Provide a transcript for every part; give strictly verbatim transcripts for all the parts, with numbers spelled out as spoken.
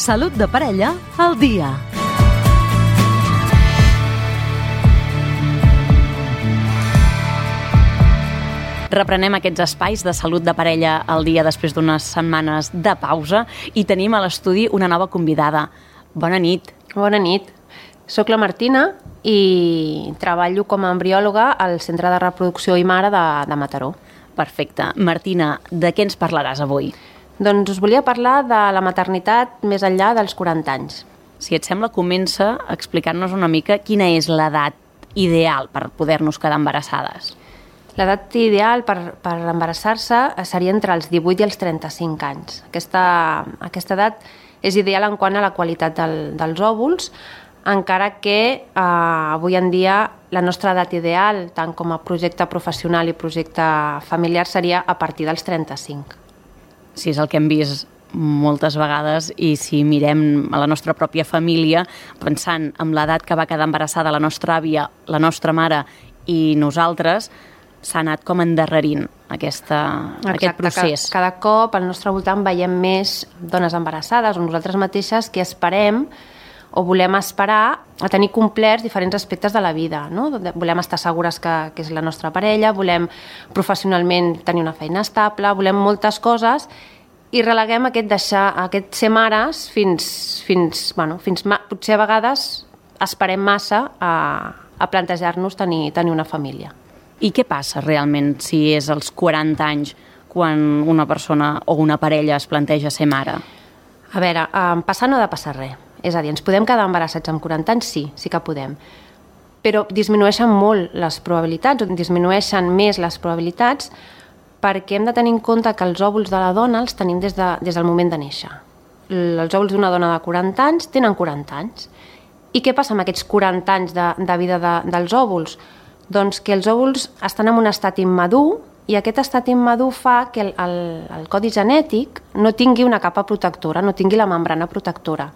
Salut de parella al dia. Reprenem aquests espais de salut de parella al dia després d'unes setmanes de pausa i tenim a l'estudi una nova convidada. Bona nit. Bona nit. Soc la Martina i treballo com a embriòloga al Centre de Reproducció i Mare de, de Mataró. Perfecte. Martina, de què ens parlaràs avui? Doncs us volia parlar de la maternitat més enllà dels quaranta anys. Si et sembla, comença explicant-nos una mica quina és l'edat ideal per poder-nos quedar embarassades. L'edat ideal per, per embarassar-se seria entre els divuit i els trenta-cinc anys. Aquesta, aquesta edat és ideal en quant a la qualitat del, dels òvuls, encara que eh, avui en dia la nostra edat ideal, tant com a projecte professional i projecte familiar, seria a partir dels trenta-cinc. Sí, és el que hem vist moltes vegades i si mirem a la nostra pròpia família, pensant en l'edat que va quedar embarassada la nostra àvia, la nostra mare i nosaltres, s'ha anat com endarrerint aquesta, aquest procés. Cada, cada cop al nostre voltant veiem més dones embarassades o nosaltres mateixes que esperem o volem esperar a tenir complerts diferents aspectes de la vida, no? Volem estar segures que, que és la nostra parella, volem professionalment tenir una feina estable, volem moltes coses i releguem aquest, deixar, aquest ser mares fins, fins, bueno, fins potser a vegades esperem massa a, a plantejar-nos tenir, tenir una família. I què passa realment si és als quaranta anys quan una persona o una parella es planteja ser mare? A veure, eh, passar no ha de passar res. És a dir, ens podem quedar embarassats amb quaranta anys? Sí, sí que podem. Però disminueixen molt les probabilitats, o disminueixen més les probabilitats perquè hem de tenir en compte que els òvuls de la dona els tenim des, de, des del moment de néixer. Els òvuls d'una dona de quaranta anys tenen quaranta anys. I què passa amb aquests quaranta anys de, de vida de, dels òvuls? Doncs que els òvuls estan en un estat immadur i aquest estat immadur fa que el, el, el codi genètic no tingui una capa protectora, no tingui la membrana protectora.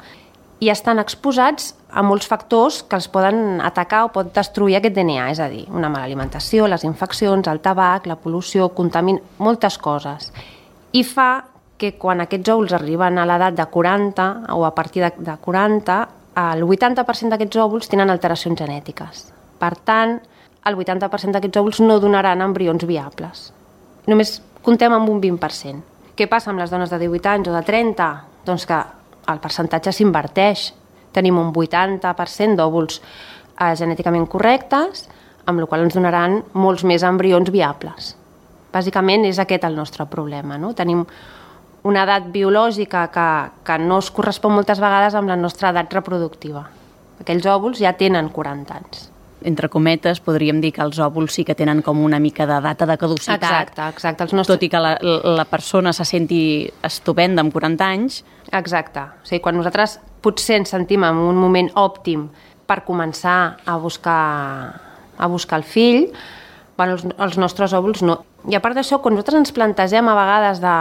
I estan exposats a molts factors que els poden atacar o pot destruir aquest D N A, és a dir, una mala alimentació, les infeccions, el tabac, la pol·lució, contamin, moltes coses. I fa que quan aquests òvuls arriben a l'edat de quaranta o a partir de, de quaranta, el vuitanta per cent d'aquests òvuls tenen alteracions genètiques. Per tant, el vuitanta per cent d'aquests òvuls no donaran embrions viables. Només comptem amb un vint per cent. Què passa amb les dones de divuit anys o de trenta? Doncs que el percentatge s'inverteix. Tenim un vuitanta per cent d'òvuls eh, genèticament correctes, amb la qual cosa ens donaran molts més embrions viables. Bàsicament és aquest el nostre problema, no? Tenim una edat biològica que, que no es correspon moltes vegades amb la nostra edat reproductiva. Aquells òvuls ja tenen quaranta anys. Entre cometes, podríem dir que els òvuls sí que tenen com una mica de data de caducitat. Exacte, exacte. Els nostres... Tot i que la, la persona se senti estupenda amb quaranta anys. Exacte. O sigui, quan nosaltres potser ens sentim en un moment òptim per començar a buscar, a buscar el fill, bueno, els, els nostres òvuls no. I a part d'això, quan nosaltres ens plantegem a vegades de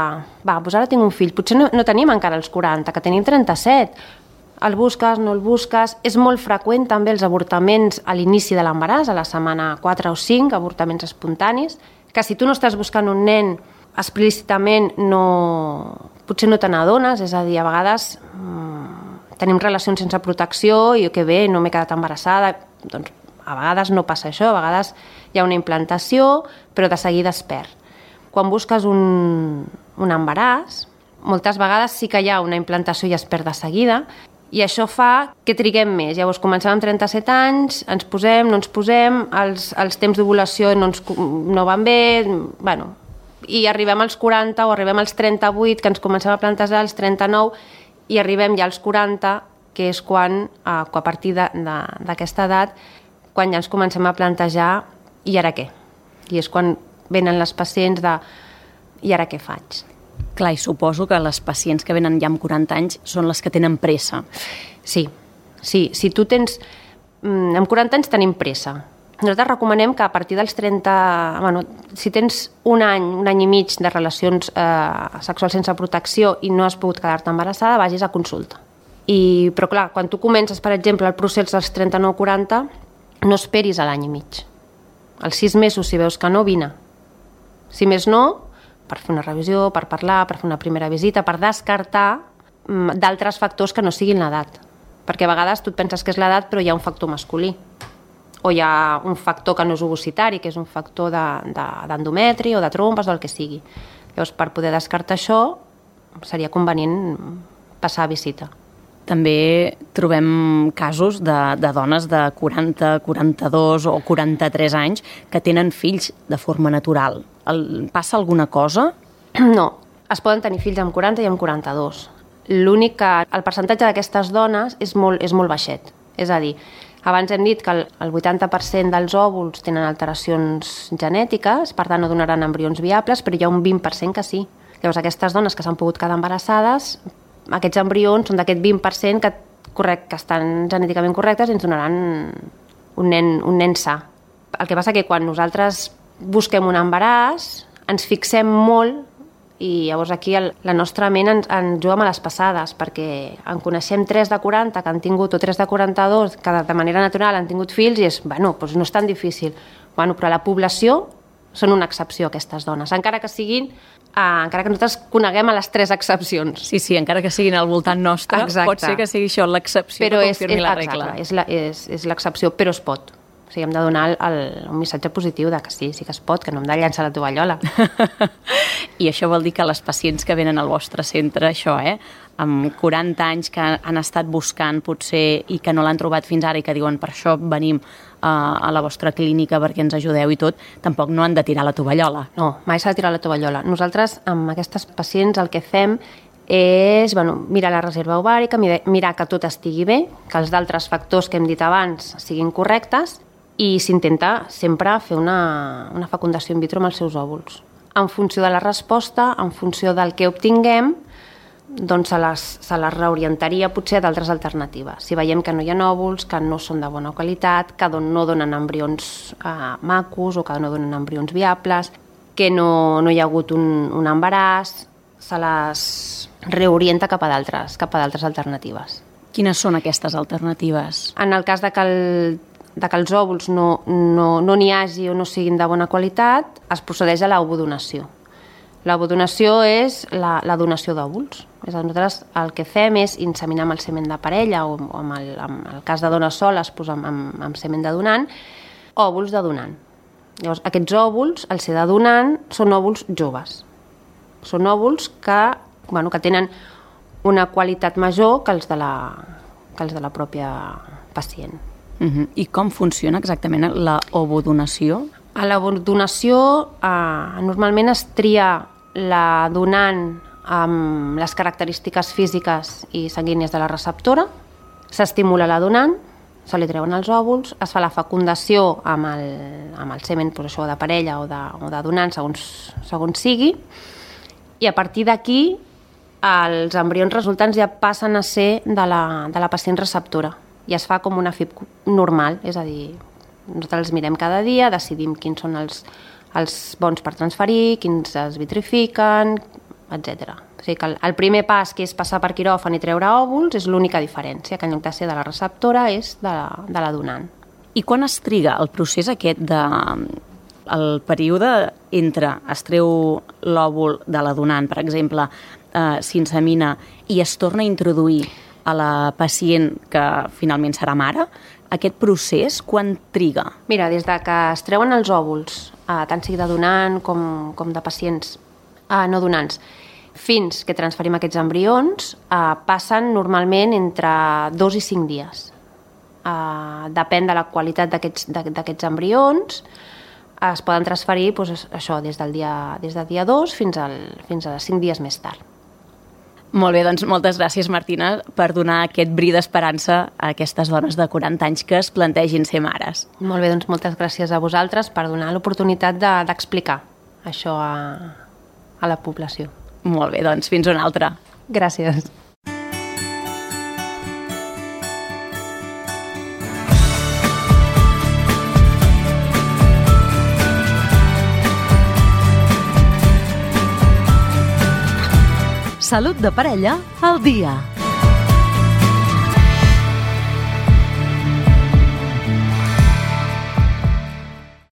va, doncs ara tinc un fill, potser no, no tenim encara els quaranta, que tenim trenta-set, el busques, no el busques. És molt freqüent també els avortaments a l'inici de l'embaràs, a la setmana quatre o cinc, avortaments espontanis, que si tu no estàs buscant un nen explícitament, no... potser no te n'adones, és a dir, a vegades mmm, tenim relacions sense protecció i que bé, no m'he quedat embarassada, doncs a vegades no passa això, a vegades hi ha una implantació, però de seguida es perd. Quan busques un, un embaràs, moltes vegades sí que hi ha una implantació i es perd de seguida, i això fa que triguem més. Llavors comencem amb trenta-set anys, ens posem, no ens posem, els, els temps d'ovulació no, ens, no van bé, bueno, i arribem als quaranta o arribem als trenta-vuit, que ens comencem a plantejar als trenta-nou, i arribem ja als quaranta, que és quan, a, a partir d'aquesta edat, quan ja ens comencem a plantejar i ara què? I és quan venen les pacients de i ara què faig? Clar, i suposo que les pacients que venen ja amb quaranta anys són les que tenen pressa. Sí, sí. Si tu tens... Amb quaranta anys tenim pressa. Nosaltres recomanem que a partir dels trenta... Bueno, si tens un any, un any i mig de relacions eh, sexuals sense protecció i no has pogut quedar-te embarassada, vagis a consulta. I, però clar, quan tu comences, per exemple, el procés dels trenta-nou quaranta, no esperis a l'any i mig. Als sis mesos, si veus que no, vine. Si més no, per fer una revisió, per parlar, per fer una primera visita, per descartar d'altres factors que no siguin l'edat. Perquè a vegades tu et penses que és l'edat però hi ha un factor masculí. O hi ha un factor que no és ovocitari, que és un factor d'endometri o de trompes o el que sigui. Llavors, per poder descartar això, seria convenient passar a visita. També trobem casos de, de dones de quaranta, quaranta-dos o quaranta-tres anys que tenen fills de forma natural. El, passa alguna cosa? No, es poden tenir fills amb quaranta i amb quaranta-dos. L'únic que el percentatge d'aquestes dones és molt, és molt baixet. És a dir, abans hem dit que el, el vuitanta per cent dels òvuls tenen alteracions genètiques, per tant no donaran embrions viables, però hi ha un vint per cent que sí. Llavors aquestes dones que s'han pogut quedar embarassades, aquests embrions són d'aquest vint per cent que, correct, que estan genèticament correctes i ens donaran un nen, un nen sa. El que passa que quan nosaltres busquem un embaràs ens fixem molt i llavors aquí el, la nostra ment ens, ens juga a les passades, perquè en coneixem tres de quaranta que han tingut, o tres de quaranta-dos que de manera natural han tingut fills i és, bueno, doncs no és tan difícil. Bueno, però a la població són una excepció aquestes dones, encara que siguin, eh, encara que nosaltres coneguem a les tres excepcions. Sí, sí, encara que siguin al voltant nostre, exacte. Pot ser que sigui això l'excepció però que és, confirmi és, la exacte, regla. És, la, és, és l'excepció, però es pot. O sigui, hem de donar el, el, un missatge positiu de que sí, sí que es pot, que no hem de llançar la tovallola. I això vol dir que les pacients que venen al vostre centre, això, eh, amb quaranta anys que han estat buscant potser i que no l'han trobat fins ara i que diuen per això venim uh, a la vostra clínica perquè ens ajudeu i tot, tampoc no han de tirar la tovallola. No, mai s'ha de tirar la tovallola. Nosaltres, amb aquestes pacients, el que fem és bueno, mirar la reserva ovàrica, mirar que tot estigui bé, que els d'altres factors que hem dit abans siguin correctes i s'intenta sempre fer una, una fecundació in vitro amb els seus òvuls. En funció de la resposta, en funció del que obtinguem, doncs se les, se les reorientaria potser a d'altres alternatives. Si veiem que no hi ha òvuls, que no són de bona qualitat, que no donen embrions eh, macos o que no donen embrions viables, que no, no hi ha hagut un, un embaràs, se les reorienta cap a d'altres cap a d'altres alternatives. Quines són aquestes alternatives? En el cas de que el de que els òvuls no no, no n'hi hagi o no siguin de bona qualitat, es procedeix a l'ovodonació. L'ovodonació és la, la donació d'òvuls. Nosaltres el que fem és inseminar amb el semen de parella o, o amb el, amb el cas de dones soles pues amb, amb, amb semen de donant, òvuls de donant. Llavors, aquests òvuls, al ser de donant, són òvuls joves. Són òvuls que, bueno, que tenen una qualitat major que els de la, que els de la pròpia pacient. Uh-huh. I com funciona exactament la ovodonació? A l'ovodonació eh, normalment es tria la donant amb les característiques físiques i sanguínies de la receptora, s'estimula la donant, se li treuen els òvuls, es fa la fecundació amb el, amb el semen pues això, de parella o de, o de donant, segons, segons sigui, i a partir d'aquí els embrions resultants ja passen a ser de la, de la pacient receptora i es fa com una F I P normal, és a dir, nosaltres els mirem cada dia, decidim quins són els, els bons per transferir, quins es vitrifiquen, etcètera. O sigui que el, el primer pas, que és passar per quiròfan i treure òvuls, és l'única diferència, que en lloc de ser de la receptora és de la, de la donant. I quan es triga el procés aquest de... el període entre es treu l'òvul de la donant, per exemple, eh, s'insemina i es torna a introduir a la pacient que finalment serà mare, aquest procés quan triga? Mira, des de que es treuen els òvuls, eh, tant sigui de donant com, com de pacients eh, no donants, fins que transferim aquests embrions, eh, passen normalment entre dos i cinc dies. Eh, depèn de la qualitat d'aquests, d'aquests embrions, es poden transferir doncs, això, des del dia, des del dia dos fins, al, fins a cinc dies més tard. Molt bé, doncs moltes gràcies, Martina, per donar aquest bri d'esperança a aquestes dones de quaranta anys que es plantegin ser mares. Molt bé, doncs moltes gràcies a vosaltres per donar l'oportunitat de, d'explicar això a, a la població. Molt bé, doncs fins una altra. Gràcies. Salut de parella al dia.